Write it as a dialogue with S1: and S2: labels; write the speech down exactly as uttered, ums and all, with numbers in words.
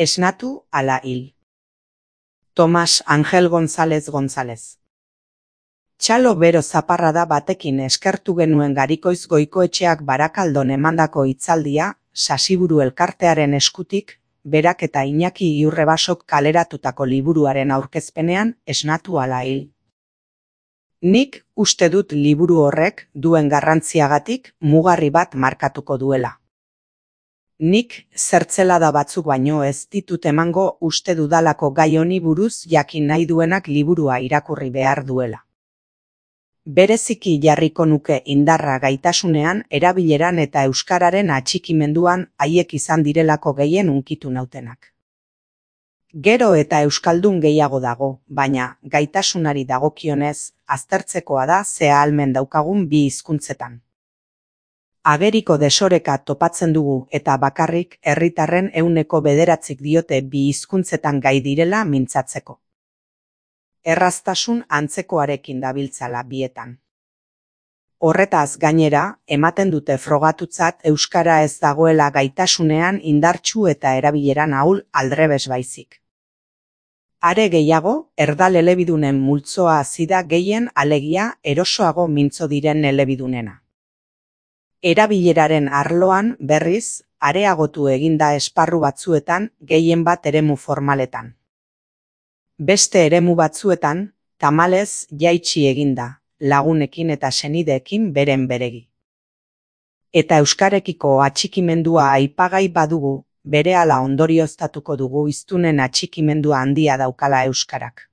S1: Esnatu ala hil. Tomas Angel González González. Txalo bero zaparrada batekin eskertu genuen Garikoiz Goikoetxeak Barakaldon emandako hitzaldia, Sasiburu elkartearen eskutik, berak eta Iñaki Iurrebasok kaleratutako liburuaren aurkezpenean esnatu ala hil. Nik uste dut liburu horrek duen garrantziagatik mugarri bat markatuko duela. Nik zertzelada batzuk baino ez ditut emango uste dudalako gai honi buruz jakin nahi duenak liburua irakurri behar duela. Bereziki jarriko nuke indarra gaitasunean, erabileran eta euskararen atxikimenduan haiek izan direlako gehien hunkitu nautenak. Gero eta euskaldun gehiago dago, baina gaitasunari dagokionez, aztertzekoa da ze ahalmen daukagun bi hizkuntzetan. Ageriko desoreka topatzen dugu eta bakarrik herritarren ehuneko bederatzik diote bi hizkuntzetan gai direla mintzatzeko. Erraztasun antzekoarekin dabiltzala bietan. Horretaz gainera, ematen dute frogatutzat euskara ez dagoela gaitasunean indartsu eta erabileran ahul aldrebes baizik. Are gehiago, erdal elebidunen multzoa zida gehien alegia erosoago mintzo diren elebidunena. Erabileraren arloan, berriz, areagotu eginda esparru batzuetan, gehien bat eremu formaletan. Beste eremu batzuetan, tamalez jaitsi eginda, lagunekin eta senideekin beren beregi. Eta euskarekiko atxikimendua aipagai badugu, berehala ondorioztatuko dugu hiztunen atxikimendua handia daukala euskarak.